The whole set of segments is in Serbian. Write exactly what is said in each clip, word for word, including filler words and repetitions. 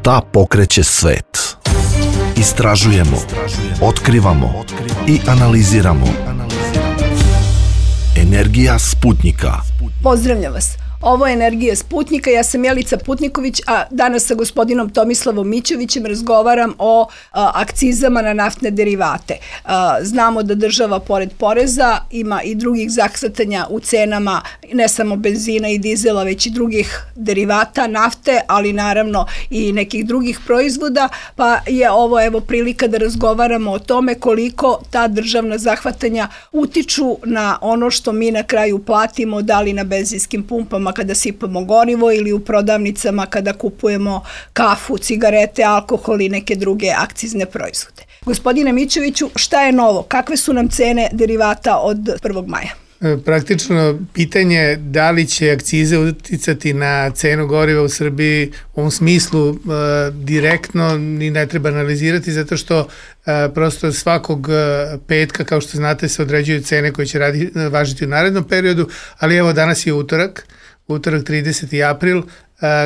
Šta pokreće svet? Istražujemo, otkrivamo i analiziramo. Energija Sputnjika. Pozdravljam vas. Ovo je Energija Sputnjika, ja sam Jelica Putniković, a danas sa gospodinom Tomislavom Mićovićem razgovaram o a, akcizama na naftne derivate. A, znamo da država pored poreza ima i drugih zakstatanja u cenama, ne samo benzina i dizela, već i drugih derivata, nafte, ali naravno i nekih drugih proizvoda, pa je ovo evo prilika da razgovaramo o tome koliko ta državna zahvatanja utiču na ono što mi na kraju platimo, da li na benzinskim pumpama kada sipamo gorivo ili u prodavnicama kada kupujemo kafu, cigarete, alkohol i neke druge akcizne proizvode. Gospodine Mićoviću, šta je novo? Kakve su nam cene derivata od prvog maja? Praktično pitanje da li će akcize uticati na cenu goriva u Srbiji u ovom smislu e, direktno ni ne treba analizirati zato što e, prosto svakog petka, kao što znate, se određuju cene koje će radi, važiti u narednom periodu, ali evo danas je utorak, utorak trideseti april, e,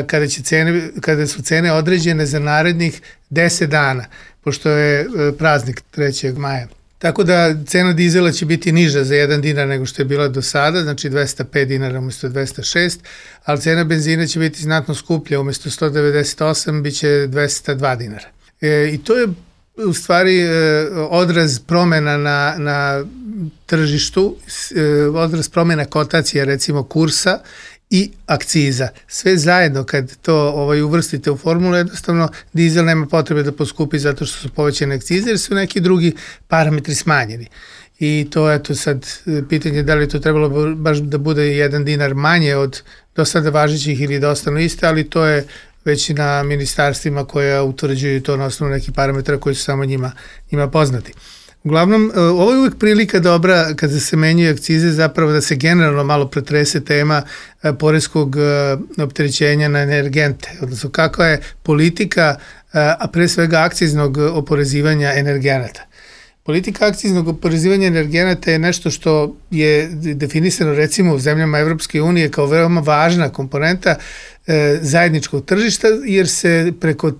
kada, će cene, kada su cene određene za narednih deset dana, pošto je e, praznik trećeg maja. Tako da cena dizela će biti niža za jedan dinar nego što je bila do sada, znači dvesta pet dinara umesto dvesta šest, ali cena benzina će biti znatno skuplja, umesto sto devedeset osam bit će dvesta dva dinara. E, I to je u stvari e, odraz promena na, na tržištu, e, odraz promena kotacija, recimo kursa i akciza. Sve zajedno kad to ovaj, uvrstite u formulu, jednostavno dizel nema potrebe da poskupi zato što su povećane akcize jer su neki drugi parametri smanjeni. I to je to sad pitanje da li to trebalo baš da bude jedan dinar manje od do sada važećih ili da ostanu iste, ali to je već na ministarstvima koja utvrđuju to na osnovu nekih parametra koji su samo njima, njima poznati. Uglavnom, ovo je uvijek prilika dobra kada se menjaju akcize zapravo da se generalno malo pretrese tema poreskog opterećenja na energente, odnosno kakva je politika, a pre svega akciznog oporezivanja energenata. Politika akciznog oporezivanja energenata je nešto što je definisano recimo u zemljama Evropske unije kao veoma važna komponenta zajedničkog tržišta jer se preko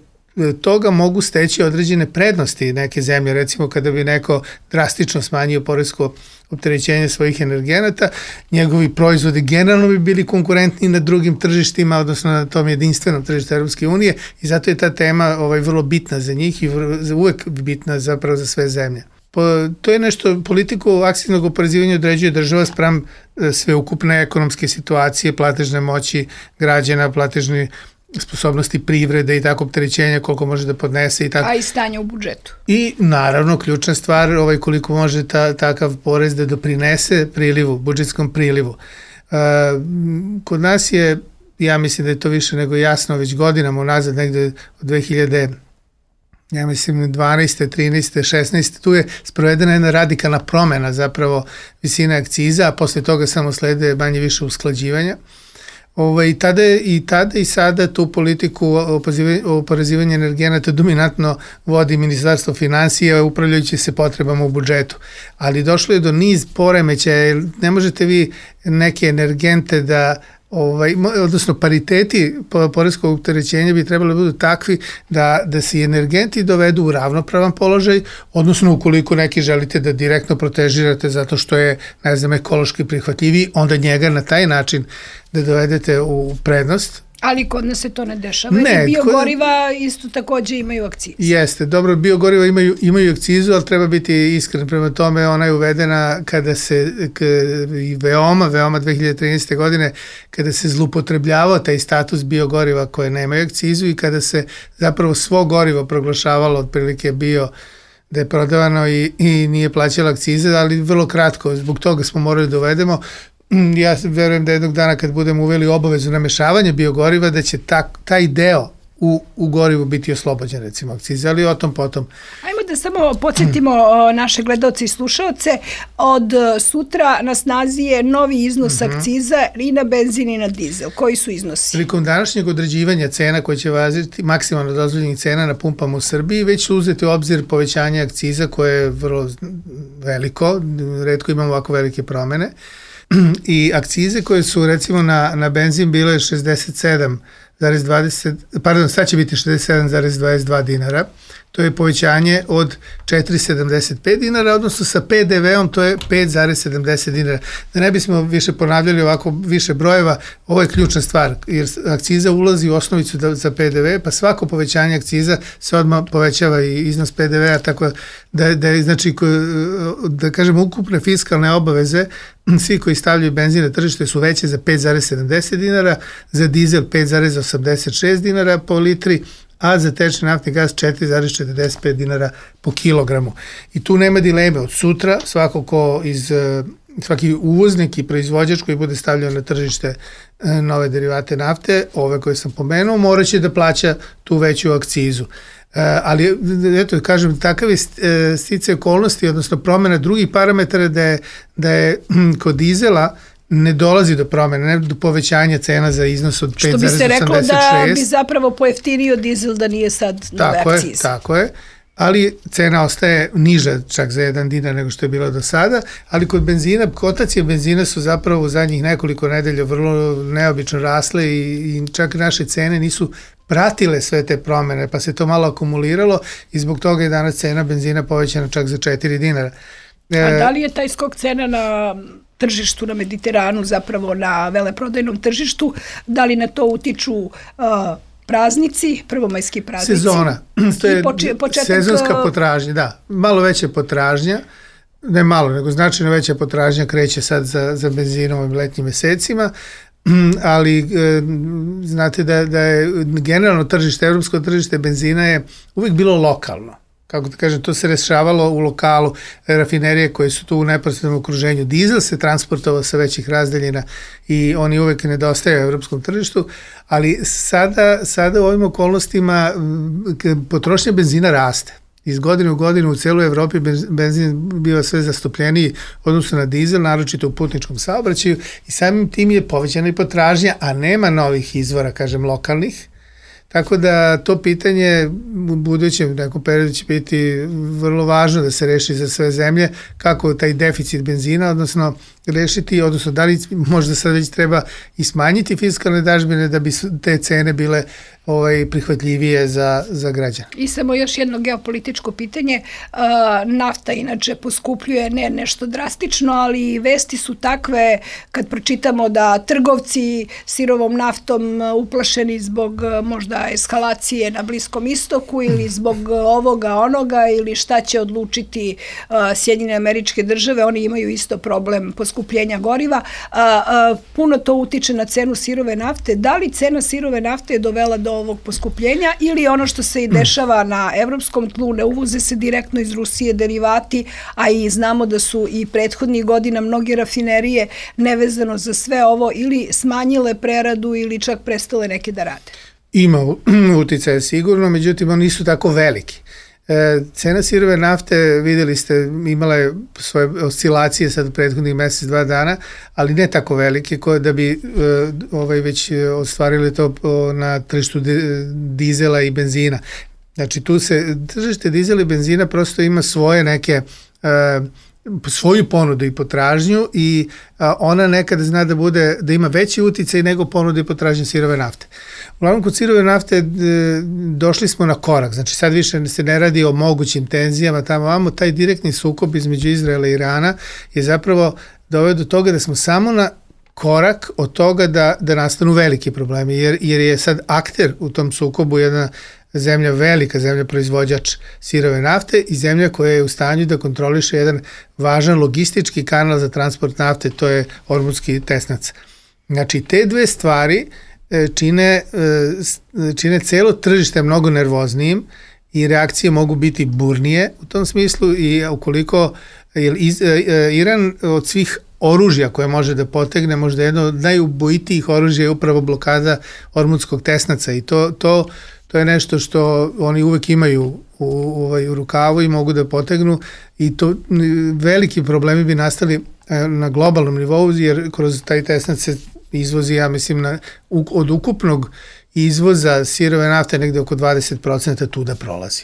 toga mogu steći određene prednosti neke zemlje, recimo kada bi neko drastično smanjio poresko opterećenje svojih energenata, njegovi proizvodi generalno bi bili konkurentni na drugim tržištima, odnosno na tom jedinstvenom tržištu Evropske unije i zato je ta tema ovaj, vrlo bitna za njih i uvek bitna zapravo za sve zemlje. Po, to je nešto, politiku akciznog oporezivanja određuje država spram sveukupne ekonomske situacije, platežne moći građana, platežni sposobnosti privrede i tako opterećenja koliko može da podnese i tako. A i stanje u budžetu. I naravno ključna stvar ovaj, koliko može ta, takav porez da doprinese prilivu, budžetskom prilivu. E, kod nas je, ja mislim da je to više nego jasno, već godinama unazad, negde od dve hiljade, ja mislim dvanaeste, trinaeste, šesnaeste, tu je sprovedena jedna radikalna promena zapravo visine akciza, a posle toga samo slede manje više usklađivanja. Ovo, i, tada, I tada i sada tu politiku oporezivanja energenata dominantno vodi Ministarstvo finansija upravljajući se potrebama u budžetu. Ali došlo je do niz poremećaja, ne možete vi neke energente da Ovaj, odnosno pariteti poreskog opterećenja bi trebali da budu takvi da, da se energenti dovedu u ravnopravan položaj, odnosno ukoliko neki želite da direktno protežirate zato što je, ne znam, ekološki prihvatljiviji, onda njega na taj način da dovedete u prednost. Ali kod nas se to ne dešava, ne, jer biogoriva kod... isto takođe imaju akcizu. Jeste, dobro, biogoriva imaju, imaju akcizu, ali treba biti iskren prema tome, ona je uvedena kada se, k, i veoma, veoma dve hiljade trinaeste. godine, kada se zlupotrebljavao taj status biogoriva koje nemaju akcizu i kada se zapravo svo gorivo proglašavalo otprilike bio da je prodavano i, i nije plaćala akcize, ali vrlo kratko, zbog toga smo morali da uvedemo. Ja verujem da jednog dana kad budemo uveli obavezu namešavanja biogoriva da će ta, taj deo u, u gorivu biti oslobođen recimo akcize, ali o tom potom. Ajmo da samo podsjetimo naše gledaoce i slušaoce, od sutra na snazi je novi iznos uh-huh. akciza i na benzin i na dizel. Koji su iznosi? Prilikom današnjeg određivanja cena koje će vaziti maksimalno dozvoljenih cena na pumpama u Srbiji, već su uzeti u obzir povećanje akciza koje je vrlo veliko, retko imamo ovako velike promene. I akcize koje su recimo na, na benzin bile šezdeset sedam zarez dvadeset, pardon, sad će biti šezdeset sedam zarez dvadeset dva dinara. To je povećanje od četiri zarez sedamdeset pet dinara, odnosno sa pe de veom to je pet zarez sedamdeset dinara. Da ne bismo više ponavljali ovako više brojeva, ovo je ključna stvar, jer akciza ulazi u osnovicu da, za pe de ve, pa svako povećanje akciza se odmah povećava i iznos pe de vea, tako da, da je, znači, da kažemo, ukupne fiskalne obaveze, svi koji stavljaju benzin na tržište su veće za pet zarez sedamdeset dinara, za dizel pet zarez osamdeset šest dinara po litri, a za tečni naftni gas četiri zarez četrdeset pet dinara po kilogramu. I tu nema dileme. Od sutra svako ko iz, svaki uvoznik i proizvođač koji bude stavljao na tržište nove derivate nafte, ove koje sam pomenuo, morat će da plaća tu veću akcizu. Ali, eto, kažem, takav je sticaj okolnosti, odnosno promjena drugih parametara da je, da je kod dizela ne dolazi do promjene, ne do povećanja cena za iznos od pet zarez osamdeset šest. Što bi se reklo da bi zapravo pojeftinio dizel da nije sad nove akcize. Tako je, ali cena ostaje niža čak za jedan dinar nego što je bilo do sada, ali kod benzina, kotacije benzina su zapravo u zadnjih nekoliko nedelja vrlo neobično rasle i, i čak naše cene nisu pratile sve te promjene, pa se to malo akumuliralo i zbog toga je danas cena benzina povećana čak za četiri dinara. A da li je taj skok cena na tržištu na Mediteranu, zapravo na veleprodajnom tržištu, da li na to utiču uh, praznici, prvomajski praznici? Sezona, to je poče, početak, sezonska potražnja, da, malo veća potražnja, ne malo, nego značajno veća potražnja kreće sad za, za benzinom ovim letnjim mesecima, ali e, znate da, da je generalno tržište, evropsko tržište benzina je uvijek bilo lokalno. Kako da kažem, to se rešavalo u lokalu, rafinerije koje su tu u neposrednom okruženju. Dizel se transportovao sa većih razdaljina i oni uvek nedostaju u evropskom tržištu, ali sada, sada u ovim okolnostima potrošnja benzina raste. Iz godine u godinu u celoj Evropi benzin biva sve zastupljeniji odnosno na dizel, naročito u putničkom saobraćaju i samim tim je povećana i potražnja, a nema novih izvora, kažem, lokalnih. Tako da to pitanje u budućem nekom periodu će biti vrlo važno da se reši za sve zemlje, kako taj deficit benzina, odnosno rešiti, odnosno da li možda sad već treba i smanjiti fiskalne dažbine da bi te cene bile ovaj, prihvatljivije za, za građane. I samo još jedno geopolitičko pitanje. Uh, nafta inače poskupljuje, ne nešto drastično, ali vesti su takve kad pročitamo da trgovci sirovom naftom uplašeni zbog možda eskalacije na Bliskom istoku ili zbog ovoga, onoga ili šta će odlučiti uh, Sjedinjene Američke Države, oni imaju isto problem poskupljenja goriva. Uh, uh, puno to utiče na cenu sirove nafte. Da li cena sirove nafte je dovela do ovog poskupljenja ili ono što se i dešava na evropskom tlu, ne uvoze se direktno iz Rusije derivati, a i znamo da su i prethodnih godina mnoge rafinerije nevezano za sve ovo ili smanjile preradu ili čak prestale neke da rade? Ima uticaja sigurno, međutim oni nisu tako veliki. E, cena sirove nafte, videli ste, imala je svoje oscilacije sad u prethodnih mesec, dva dana, ali ne tako velike koje da bi e, ovaj već ostvarili to o, na tržištu dizela i benzina. Znači tu se, tržište dizela i benzina prosto ima svoje neke e, svoju ponudu i potražnju i a, ona nekada zna da bude, da ima veći uticaj nego ponudu i potražnju sirove nafte. Uglavnom kod sirove nafte e, došli smo na korak, znači sad više se ne radi o mogućim tenzijama, tamo vamo taj direktni sukob između Izraela i Irana je zapravo doveo do toga da smo samo na korak od toga da, da nastanu veliki problemi, jer, jer je sad akter u tom sukobu jedna zemlja, velika zemlja proizvođač sirove nafte i zemlja koja je u stanju da kontroliše jedan važan logistički kanal za transport nafte, to je Ormuzski tesnac. Znači te dve stvari čine, čine celo tržište mnogo nervoznijim i reakcije mogu biti burnije u tom smislu i ukoliko jer Iran od svih oružja koje može da potegne, možda jedno od najubojitijih oružja je upravo blokada Ormuzskog tesnaca i to, to, to je nešto što oni uvek imaju u, u, u rukavu i mogu da potegnu i to veliki problemi bi nastali na globalnom nivou jer kroz taj tesnac se izvozi, ja mislim, na, od ukupnog izvoza sirove nafte negde oko dvadeset procenta tu da prolazi.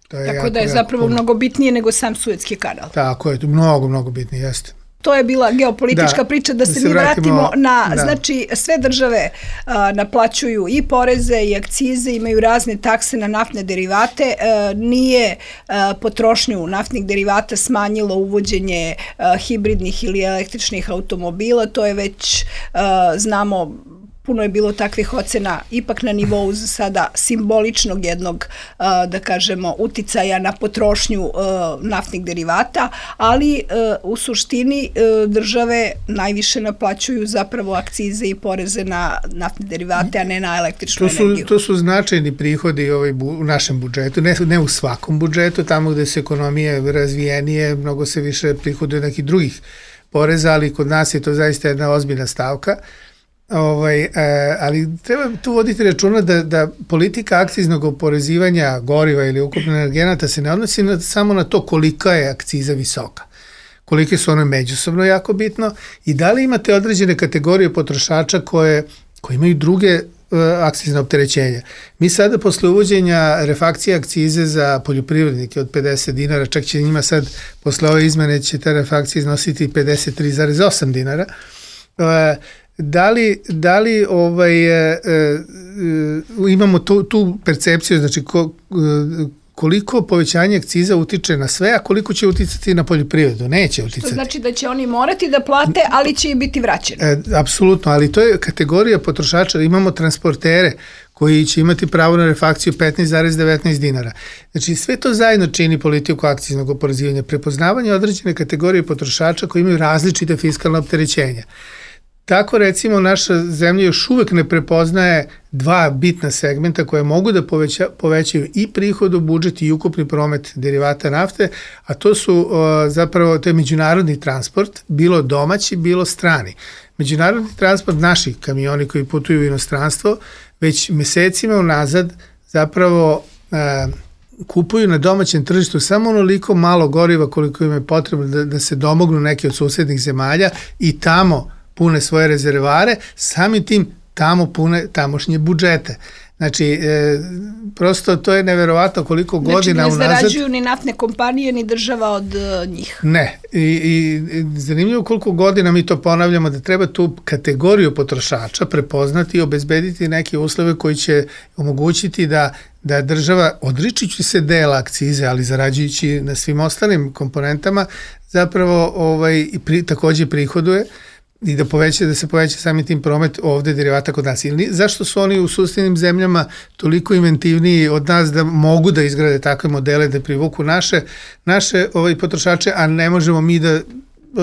To je Tako jako, da je jako zapravo puno. Mnogo bitnije nego sam Suetski kanal. Tako je, to mnogo, mnogo bitnije, jeste. To je bila geopolitička da, priča, da se, da se mi vratimo, vratimo na, da. znači sve države a, naplaćuju i poreze i akcize, imaju razne takse na naftne derivate, a, nije a, potrošnju naftnih derivata smanjilo uvođenje a, hibridnih ili električnih automobila, to je već, a, znamo, puno je bilo takvih ocena ipak na nivou za sada simboličnog jednog, da kažemo, uticaja na potrošnju naftnih derivata, ali u suštini države najviše naplaćuju zapravo akcize i poreze na naftne derivate, a ne na električnu to su, energiju. To su značajni prihodi ovaj, u našem budžetu, ne, ne u svakom budžetu, tamo gde su ekonomije razvijenije, mnogo se više prihoduje nekih drugih poreza, ali kod nas je to zaista jedna ozbiljna stavka. Ovaj, e, ali treba tu voditi računa da, da politika akciznog oporezivanja goriva ili ukupno energenata se ne odnosi na, samo na to kolika je akciza visoka, kolike su one međusobno jako bitno i da li imate određene kategorije potrošača koje, koje imaju druge uh, akcizne opterećenja. Mi sada posle uvođenja refakcije akcize za poljoprivrednike od pedeset dinara, čak će njima sad posle ove izmene će ta refakcija iznositi pedeset tri zarez osam dinara, uh, Da li, da li ovaj, e, e, imamo tu, tu percepciju, znači ko, koliko povećanje akciza utiče na sve, a koliko će uticati na poljoprivredu? Neće uticati. Što znači da će oni morati da plate, ali će i biti vraćeni. E, apsolutno, ali to je kategorija potrošača. Imamo transportere koji će imati pravo na refakciju petnaest zarez devetnaest dinara. Znači sve to zajedno čini politiku akciznog oporezivanja, prepoznavanje određene kategorije potrošača koji imaju različite fiskalne opterećenja. Tako recimo naša zemlja još uvek ne prepoznaje dva bitna segmenta koje mogu da poveća, povećaju i prihod u budžet i ukupni promet derivata nafte, a to su o, zapravo to je međunarodni transport, bilo domaći, bilo strani. Međunarodni transport, naši kamioni koji putuju u inostranstvo, već mesecima unazad zapravo e, kupuju na domaćem tržištu samo onoliko malo goriva koliko im je potrebno da, da se domognu neki od susednih zemalja i tamo pune svoje rezervare, samim tim tamo pune tamošnje budžete. Znači, e, prosto to je neverovatno koliko znači, godina unazad... Znači, ne zarađuju ni naftne kompanije, ni država od uh, njih. Ne. I, i zanimljivo koliko godina mi to ponavljamo da treba tu kategoriju potrošača prepoznati i obezbediti neke uslove koji će omogućiti da, da država, odričući se dela akcize, ali zarađujući na svim ostalim komponentama, zapravo ovaj, pri, takođe prihoduje i da, poveća, da se poveća sami tim promet ovde derivata kod nas. Ili, zašto su oni u susednim zemljama toliko inventivniji od nas da mogu da izgrade takve modele, da privuku naše, naše ovaj, potrošače, a ne možemo mi da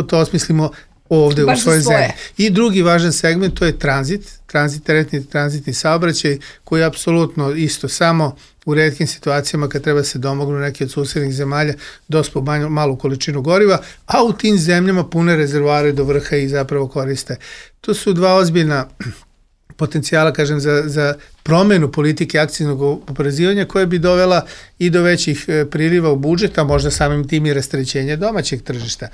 to osmislimo ovde baš u svojoj zemlji. I drugi važan segment, to je tranzit, tranzit, teretni tranzitni saobraćaj, koji je apsolutno isto samo u retkim situacijama kad treba se domognu neki od susednih zemalja dospo malu količinu goriva, a u tim zemljama pune rezervoare do vrha i zapravo koriste. To su dva ozbiljna potencijala, kažem, za, za promenu politike akciznog oporezivanja koja bi dovela i do većih priliva u budžet, a možda samim tim i rasterećenja domaćeg tržišta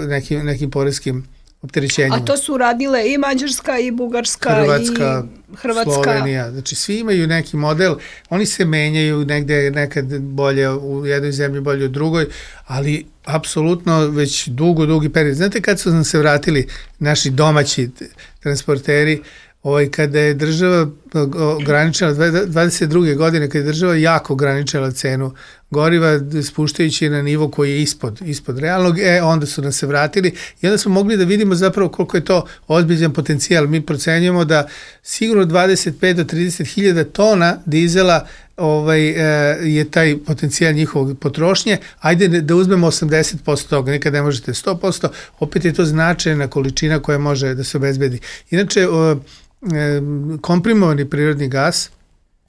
nekim, nekim poreskim opterećenjima. A to su radile i Mađarska i Bugarska Hrvatska, i Hrvatska. Slovenija. Znači svi imaju neki model, oni se menjaju negde nekad bolje u jednoj zemlji, bolje u drugoj, ali apsolutno već dugo, dugi period. Znate kad su nam se vratili naši domaći transporteri, ovaj, kada je država ograničila, dvadeset druge godine, kada je država jako ograničila cenu goriva, spuštajući na nivo koji je ispod, ispod realnog, e, onda su nam se vratili i onda smo mogli da vidimo zapravo koliko je to ozbiljan potencijal. Mi procenjujemo da sigurno dvadeset pet do trideset hiljada tona dizela ovaj, je taj potencijal njihovog potrošnje. Ajde da uzmemo osamdeset posto toga, nikad ne možete sto posto, opet je to značajna količina koja može da se obezbedi. Inače, komprimovani prirodni gas,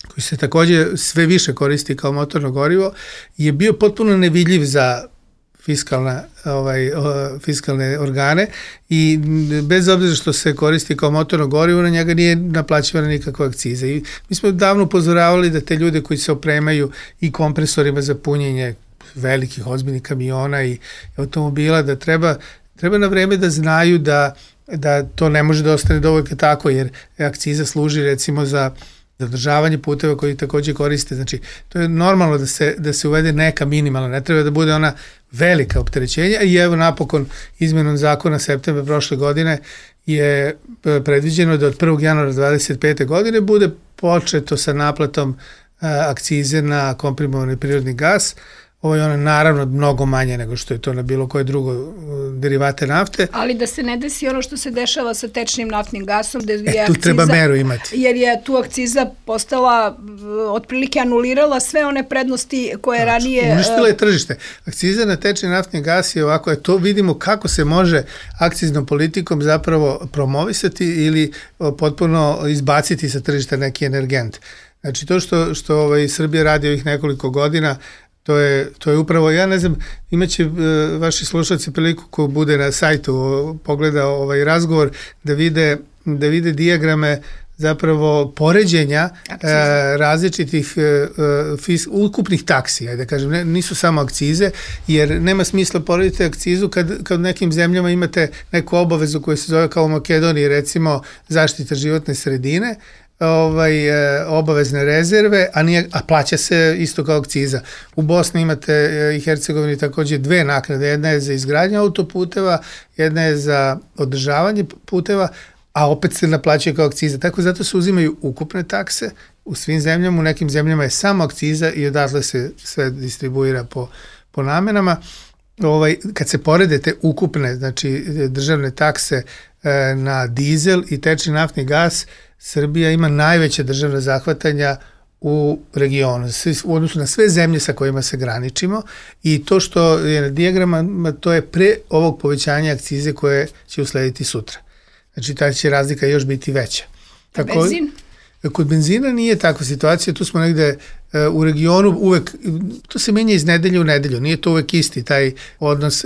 koji se takođe sve više koristi kao motorno gorivo, je bio potpuno nevidljiv za fiskalna, ovaj, fiskalne organe i bez obzira što se koristi kao motorno gorivo, na njega nije naplaćivana nikakva akciza. I mi smo davno upozoravali da te ljude koji se opremaju i kompresorima za punjenje velikih ozbiljnih kamiona i automobila, da treba, treba na vreme da znaju da da to ne može da ostane dovoljno tako, jer akciza služi recimo za zadržavanje puteva koji takođe koriste. Znači, to je normalno da se, da se uvede neka minimalna, ne treba da bude ona velika opterećenja i evo napokon izmenom zakona septembra prošle godine je predviđeno da od prvog januara dvadeset pete godine bude početo sa naplatom akcize na komprimovani prirodni gas. Ovo je ona naravno mnogo manje nego što je to na bilo koje drugo derivate nafte. Ali da se ne desi ono što se dešava sa tečnim naftnim gasom, gde je e, tu akciza, treba meru imati. Jer je tu akciza postala, otprilike anulirala sve one prednosti koje znači, ranije... Uništila je tržište. Akciza na tečni naftni gas je ovako, to vidimo kako se može akciznom politikom zapravo promovisati ili potpuno izbaciti sa tržišta neki energent. Znači to što, što ovaj, Srbija radi ovih nekoliko godina, To je, to je upravo, ja ne znam, imaće uh, vaši slušalci priliku ko bude na sajtu o, pogleda ovaj razgovor da vide, da vide dijagrame zapravo poređenja uh, različitih uh, fis, ukupnih taksi, ajde da kažem, ne, nisu samo akcize, jer nema smisla porediti akcizu kad, kad u nekim zemljama imate neku obavezu koja se zove kao u Makedoniji, recimo zaštita životne sredine, ovaj, obavezne rezerve, a, nije, a plaća se isto kao akciza. U Bosni imate i Hercegovini takođe dve naknade, jedna je za izgradnju autoputeva, jedna je za održavanje puteva, a opet se naplaćuje kao akciza. Tako zato se uzimaju ukupne takse u svim zemljama, u nekim zemljama je samo akciza i odatle se sve distribuira po, po namenama. Ovaj, kad se porede te ukupne, znači državne takse e, na dizel i tečni naftni gas, Srbija ima najveće državne zahvatanja u regionu, u odnosu na sve zemlje sa kojima se graničimo i to što je na dijagrama, to je pre ovog povećanja akcize koje će uslediti sutra. Znači, ta će razlika još biti veća. Tako, benzin? Kod benzina nije takva situacija, tu smo negde u regionu uvek, to se menja iz nedelje u nedelju, nije to uvek isti taj odnos.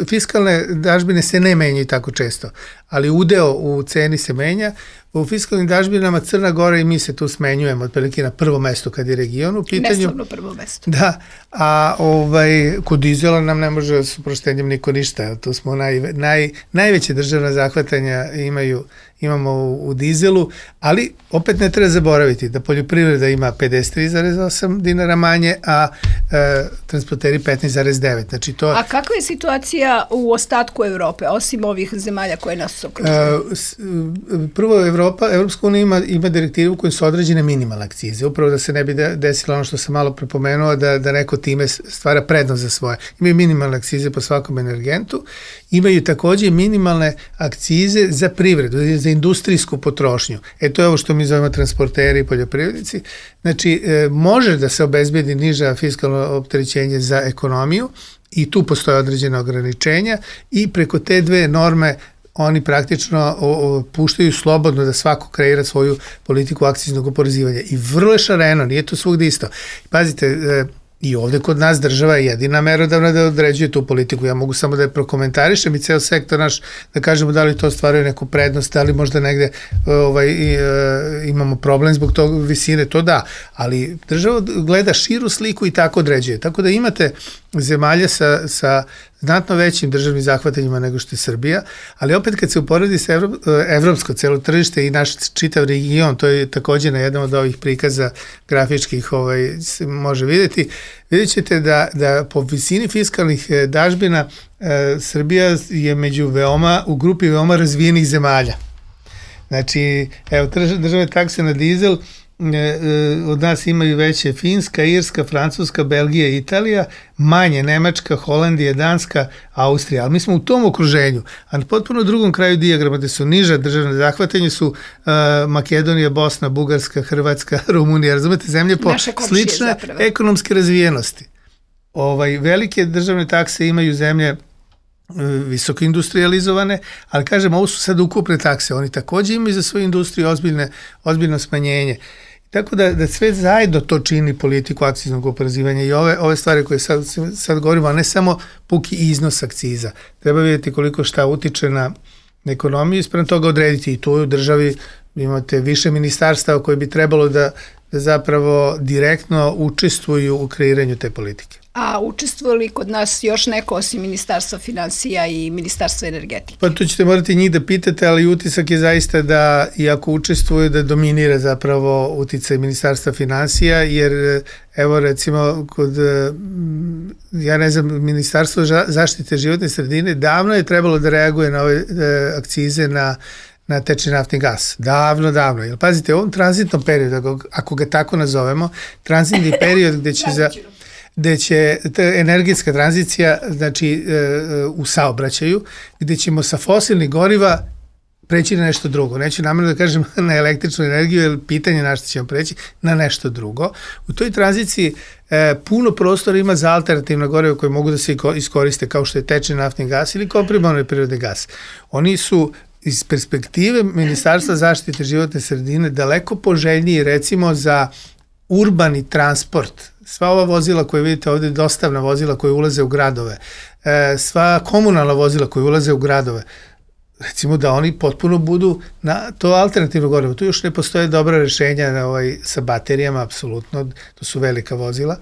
Fiskalne dažbine se ne menjaju tako često, ali udeo u ceni se menja. U fiskalnim dažbinama Crna Gora i mi se tu smenjujemo otprilike na prvo mesto kad je region u pitanju. Neslavno prvo mesto. Da, a ovaj, kod dizela nam ne može s uproštenjem niko ništa. Tu smo naj, naj, najveće državna zahvatanja imaju, imamo u, u dizelu, ali opet ne treba zaboraviti da poljoprivreda ima pedeset tri zarez osam dinara manje, a e, transporteri petnaest zarez devet. Znači to... A kakva je situacija u ostatku Evrope, osim ovih zemalja koje nas okružuju? E, prvo, Evropa, Evropska unija ima, ima direktivu kojim su određene minimalne akcize, upravo da se ne bi desilo ono što sam malo prepomenuo, da, da neko time stvara prednost za svoje. Imaju minimalne akcize po svakom energentu, imaju takođe minimalne akcize za privredu, za industrijsku potrošnju. E to je ovo što mi zovemo transporteri i poljoprivrednici. Znači, e, može da se obezbedi niža fiskalno opterećenje za ekonomiju i tu postoje određene ograničenja i preko te dve norme oni praktično o, o, puštaju slobodno da svako kreira svoju politiku akciznog oporezivanja. I vrlo je šareno, nije to svugde isto. Pazite, e, i ovde kod nas država je jedina merodavna da određuje tu politiku. Ja mogu samo da je prokomentarišem i ceo sektor naš, da kažemo da li to stvaruje neku prednost, da li možda negde ovaj, i, e, imamo problem zbog tog visine, to da. Ali država gleda širu sliku i tako određuje. Tako da imate zemalja sa, sa znatno većim državnim zahvatanjima nego što je Srbija, ali opet kad se uporedi sa Evro, evropsko celo tržište i naš čitav region, to je takođe na jednom od ovih prikaza grafičkih ovaj, se može vidjeti, vidjet ćete da, da po visini fiskalnih dažbina e, Srbija je među veoma, u grupi veoma razvijenih zemalja. Znači, evo, države takse na dizel od nas imaju veće Finska, Irska, Francuska, Belgija i Italija, manje Nemačka, Holandija, Danska, Austrija, ali mi smo u tom okruženju, a na potpuno drugom kraju dijagrama gde su niža državne zahvatanje su uh, Makedonija, Bosna, Bugarska, Hrvatska, Rumunija, razumete, zemlje po slične zapravo ekonomske razvijenosti. Ovaj, velike državne takse imaju zemlje visoko industrializovane, ali kažem, ovo su sad ukupne takse, oni takođe imaju za svoju industriju ozbiljne, ozbiljno smanjenje. Tako da, da sve zajedno to čini politiku akciznog oporezivanja i ove, ove stvari koje sad, sad govorimo, a ne samo puki iznos akciza. Treba vidjeti koliko šta utiče na ekonomiju i sprem toga odrediti i tu u državi imate više ministarstava koji bi trebalo da, da zapravo direktno učestvuju u kreiranju te politike. A učestvuje li kod nas još neko osim Ministarstva finansija i Ministarstva energetike? Pa tu ćete morati njih da pitate, ali utisak je zaista da, iako učestvuje, da dominira zapravo uticaj Ministarstva finansija, jer evo recimo kod, ja ne znam, Ministarstvo zaštite životne sredine davno je trebalo da reaguje na ove akcize na na tečni naftni gas. Davno, davno. Jer pazite, u ovom tranzitnom periodu, ako ga tako nazovemo, tranzitni period gde će za gde će ta energetska tranzicija, znači u saobraćaju, gde ćemo sa fosilnih goriva preći na nešto drugo. Neću namjerno da kažem na električnu energiju, jer pitanje na što ćemo preći, na nešto drugo. U toj tranziciji e, puno prostora ima za alternativna goriva koje mogu da se iskoriste, kao što je tečni naftni gas ili komprimovani prirodni gas. Oni su iz perspektive Ministarstva zaštite životne sredine daleko poželjniji, recimo, za urbani transport. Sva ova vozila koje vidite ovde, dostavna vozila koje ulaze u gradove, sva komunalna vozila koje ulaze u gradove, recimo da oni potpuno budu na to alternativno gorivo. Tu još ne postoje dobra rešenja na ovaj, sa baterijama, apsolutno, to su velika vozila,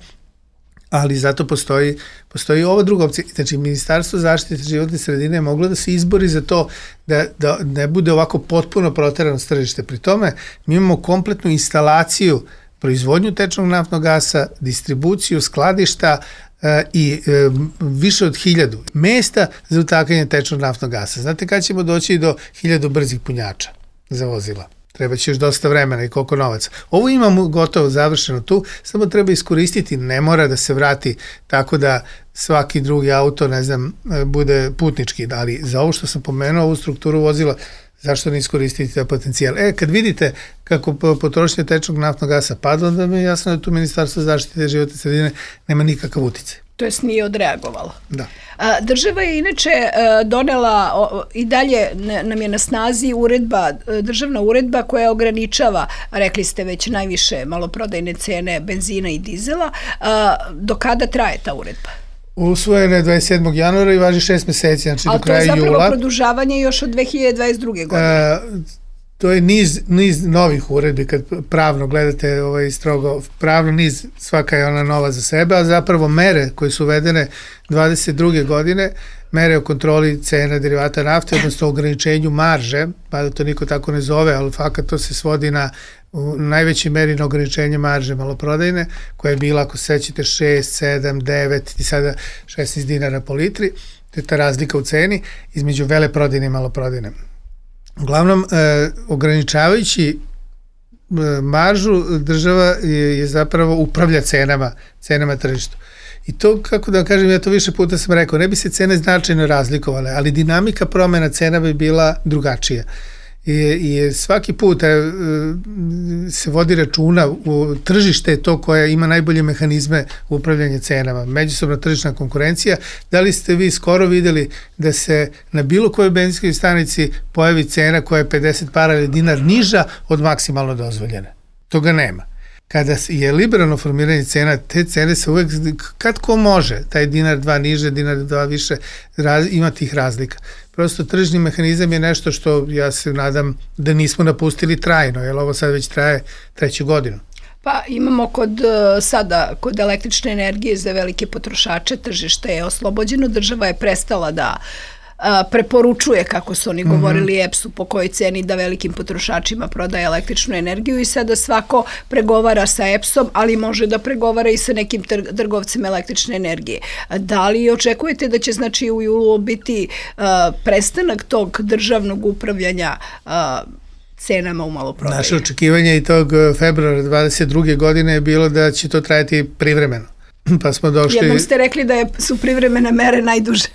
ali zato postoji, postoji ova druga opcija. Znači, Ministarstvo zaštite životne sredine je moglo da se izbori za to da, da ne bude ovako potpuno proterano s tržište. Pri tome, mi imamo kompletnu instalaciju, proizvodnju tečnog naftnog gasa, distribuciju, skladišta e, i e, više od hiljadu mesta za utakanje tečnog naftnog gasa. Znate kada ćemo doći do hiljadu brzih punjača za vozila? Treba će još dosta vremena i koliko novaca. Ovo imamo gotovo završeno tu, samo treba iskoristiti, ne mora da se vrati tako da svaki drugi auto, ne znam, bude putnički, ali za ovo što sam pomenuo, ovu strukturu vozila, zašto ne iskoristiti taj potencijal? E, kad vidite kako potrošnja tečnog naftnog gasa padla, onda mi je jasno da tu Ministarstvo zaštite životne sredine nema nikakav uticaj. To jest nije odreagovalo. Da. A, država je inače donela o, i dalje nam je na snazi uredba, državna uredba koja ograničava, rekli ste već, najviše maloprodajne cene benzina i dizela. A, do kada traje ta uredba? Usvojena je dvadeset sedmog januara i važi šest meseci, znači do kraja jula. Ali to je zapravo produžavanje još od dve hiljade dvadeset druge. godine. A, to je niz, niz novih uredbi, kad pravno gledate ovaj strogo, pravno niz, svaka je ona nova za sebe, a zapravo mere koje su uvedene dvadeset druge. godine, mere o kontroli cena derivata nafte, odnosno ograničenju marže, pa da to niko tako ne zove, ali fakat to se svodi na u najvećoj meri na ograničenje marže maloprodajne, koja je bila, ako se sećate, šest, sedam, devet i sada šesnaest dinara po litri, to je ta razlika u ceni između veleprodajne i maloprodajne. Uglavnom, e, ograničavajući e, maržu, država je, je zapravo upravlja cenama, cenama tržištu. I to, kako da kažem, ja to više puta sam rekao, ne bi se cene značajno razlikovale, ali dinamika promena cena bi bila drugačija. I, i svaki put e, se vodi računa, u tržište je to koje ima najbolje mehanizme upravljanja cenama, međusobna tržišna konkurencija. Da li ste vi skoro videli da se na bilo kojoj benzinskoj stanici pojavi cena koja je pedeset para ili dinar niža od maksimalno dozvoljene? Toga nema. Kada je liberalno formiranje cena, te cene se uvek, kad ko može, taj dinar dva niže, dinar dva više, raz, ima tih razlika. Prosto tržni mehanizam je nešto što ja se nadam da nismo napustili trajno, jer ovo sad već traje treću godinu. Pa imamo kod sada, kod električne energije za velike potrošače, tržište je oslobođeno, država je prestala da preporučuje, kako su oni govorili, E P S-u po kojoj ceni da velikim potrošačima prodaje električnu energiju i sada svako pregovara sa E P S-om, ali može da pregovara i sa nekim trgovcima električne energije. Da li očekujete da će, znači, u julu biti uh, prestanak tog državnog upravljanja uh, cenama u maloprodaji? Naše očekivanje i tog februara dvadeset druge. godine je bilo da će to trajati privremeno. Pa smo došli... Jednom ste rekli da je, su privremene mere najduže.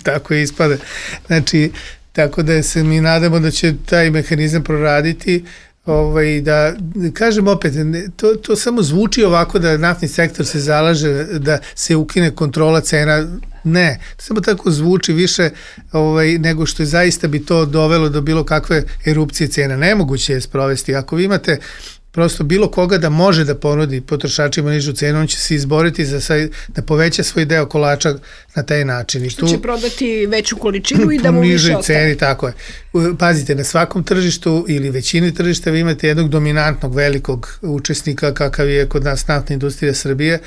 Tako je ispade. Znači, tako da se mi nadamo da će taj mehanizam proraditi, ovaj, da, kažem opet, to, to samo zvuči ovako da naftni sektor se zalaže da se ukine kontrola cena. Ne, to samo tako zvuči više ovaj, nego što je zaista bi to dovelo do bilo kakve erupcije cena. Nemoguće je sprovesti. Ako vi imate prosto bilo koga da može da ponudi potrošačima nižu cenu, on će se izboriti za saj, da poveća svoj deo kolača na taj način. I što tu, će prodati veću količinu i da mu više ostane. Ceni, tako je. Pazite, na svakom tržištu ili većini tržišta vi imate jednog dominantnog velikog učesnika kakav je kod nas naftna industrija Srbije.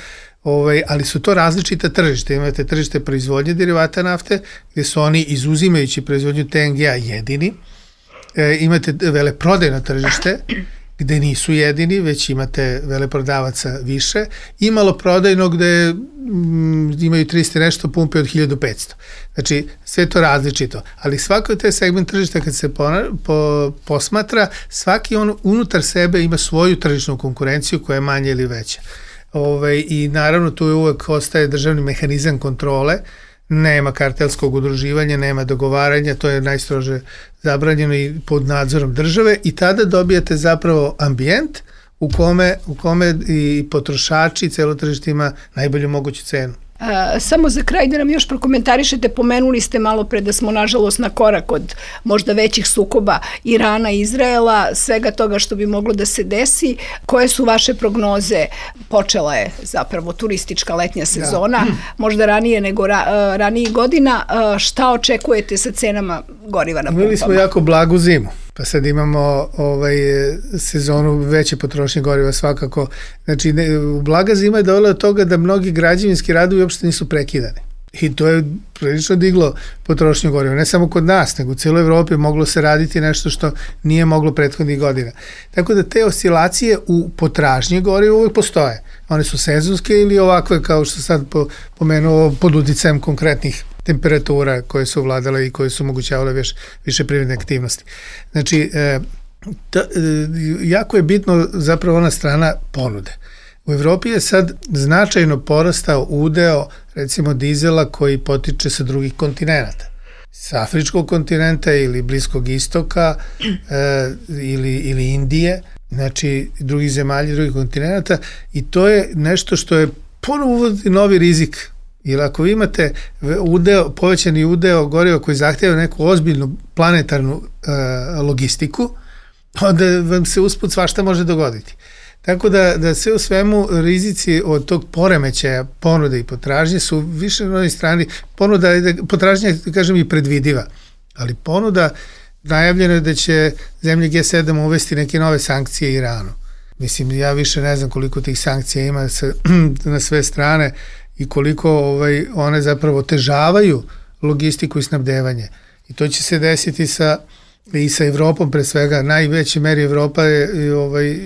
Ovaj, ali su to različita tržište. Imate tržište proizvodnje derivata nafte, gde su oni, izuzimajući proizvodnju T N G-a, jedini. E, imate veleprodajno tržište, gde nisu jedini, već imate veleprodavaca više. I maloprodajno gde mm, imaju tristo nešto, pumpe od hiljadu petsto. Znači, sve to različito. Ali svako te segment tržišta kad se pona, po, posmatra, svaki on unutar sebe ima svoju tržišnu konkurenciju koja je manja ili veća. Ove, I naravno tu je uvek ostaje državni mehanizam kontrole, nema kartelskog udruživanja, nema dogovaranja, to je najstrože zabranjeno i pod nadzorom države i tada dobijate zapravo ambijent u kome, u kome i potrošači i celo tržište ima najbolju moguću cenu. A, samo za kraj da nam još prokomentarišete, pomenuli ste malo pre da smo nažalost na korak od možda većih sukoba Irana i Izraela, svega toga što bi moglo da se desi. Koje su vaše prognoze? Počela je zapravo turistička letnja sezona, da. možda ranije nego ra, ranijih godina. Šta očekujete sa cenama goriva na pumpama? Imali smo jako blagu zimu. Pa sad imamo ovaj, sezonu veće potrošnje goriva svakako. Znači, ne, blaga zima je dovela od toga da mnogi građevinski radovi uopšte nisu prekidani. I to je prilično diglo potrošnju goriva. Ne samo kod nas, nego u cijeloj Evropi moglo se raditi nešto što nije moglo prethodnih godina. Tako da te oscilacije u potražnji goriva uvijek postoje. One su sezonske ili ovakve, kao što sad pomenuo, pod uticajem konkretnih temperatura koje su vladale i koje su omogućavale više, više privredne aktivnosti. Znači, e, ta, e, jako je bitno zapravo ona strana ponude. U Evropi je sad značajno porastao udeo, recimo, dizela koji potiče sa drugih kontinenta. Sa afričkog kontinenta ili Bliskog istoka e, ili, ili Indije, znači drugih zemalja, drugih kontinenta, i to je nešto što je ponovo uvodi novi rizik. Jer ako vi imate udeo, povećani udeo goriva koji zahtjeva neku ozbiljnu planetarnu e, logistiku, onda vam se usput svašta može dogoditi. Tako da, da sve u svemu rizici od tog poremećaja ponude i potražnje su više na onoj strani. Ponuda, potražnja, kažem, i predvidiva, ali ponuda, najavljeno je da će zemlje G sedam uvesti neke nove sankcije Iranu. Mislim, ja više ne znam koliko tih sankcija ima sa, na sve strane i koliko ovaj, one zapravo otežavaju logistiku i snabdevanje. I to će se desiti sa i sa Evropom, pre svega, najveće meri Evropa je... I ovaj...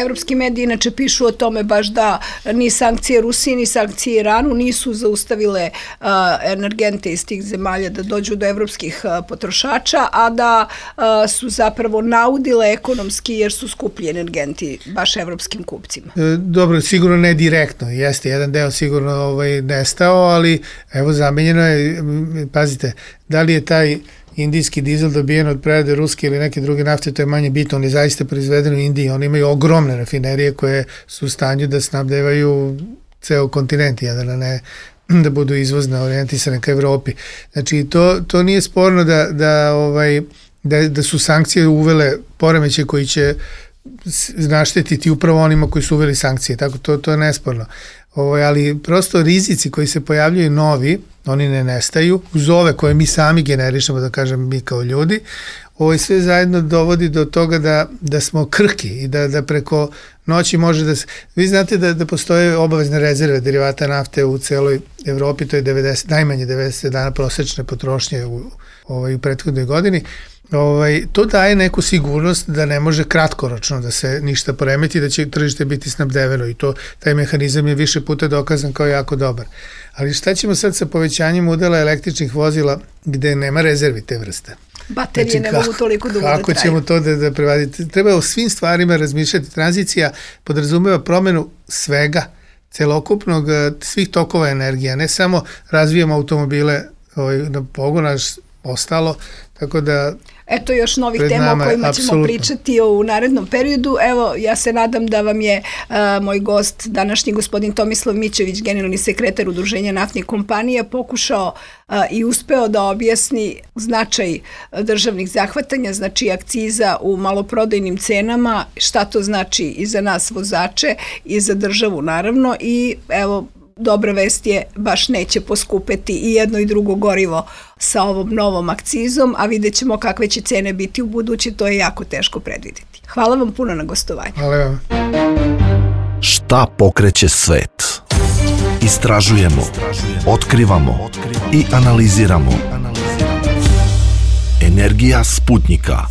Evropski mediji inače pišu o tome baš da ni sankcije Rusiji, ni sankcije Iranu nisu zaustavile uh, energente iz tih zemalja da dođu do evropskih uh, potrošača, a da uh, su zapravo naudile ekonomski jer su skuplji energenti baš evropskim kupcima. E, dobro, sigurno ne direktno, jeste, jedan deo sigurno ovaj, nestao, ali evo zamenjeno je, pazite, da li je taj indijski dizel dobijen od prerade ruske ili neke druge nafte, to je manje bitno, on je zaista proizveden u Indiji, oni imaju ogromne rafinerije koje su u stanju da snabdevaju ceo kontinent, jedan, a ne da budu izvozno orijentisane ka Evropi. Znači, to, to nije sporno da, da, ovaj, da, da su sankcije uvele poremeće koji će naštetiti upravo onima koji su uveli sankcije, tako to, to je nesporno. Ovo, ali prosto rizici koji se pojavljaju novi, oni ne nestaju, uz ove koje mi sami generišemo, da kažem mi kao ljudi, ovo sve zajedno dovodi do toga da, da smo krhki i da, da preko noći može da se... Vi znate da, da postoje obavezne rezerve derivata nafte u celoj Evropi, to je devedeset, najmanje devedeset dana prosečne potrošnje u, ovaj, u prethodnoj godini. Ovaj, to daje neku sigurnost da ne može kratkoročno da se ništa poremeti, da će tržište biti snabdeveno i to, taj mehanizam je više puta dokazan kao jako dobar. Ali šta ćemo sad sa povećanjem udela električnih vozila gde nema rezervi te vrste? Baterije znači, ne kako, mogu toliko dugo da traju. Kako ćemo to da, da prevaditi? Treba o svim stvarima razmišljati. Tranzicija podrazumeva promenu svega, celokupnog, svih tokova energija, ne samo razvijamo automobile ovaj, na pogona, ostalo, tako da... Eto još novih tema o kojima ćemo apsolutno pričati u narednom periodu. Evo, ja se nadam da vam je uh, moj gost, današnji gospodin Tomislav Mićević, generalni sekretar Udruženja naftnih kompanija, pokušao uh, i uspeo da objasni značaj državnih zahvatanja, znači akciza u maloprodajnim cenama, šta to znači i za nas vozače i za državu naravno, i evo, dobra vest je, baš neće poskupeti i jedno i drugo gorivo sa ovom novom akcizom, a vidjet ćemo kakve će cene biti u budući, to je jako teško predvidjeti. Hvala vam puno na gostovanju. Hvala vam. Šta pokreće svet? Istražujemo, otkrivamo i analiziramo. Energija Sputnika.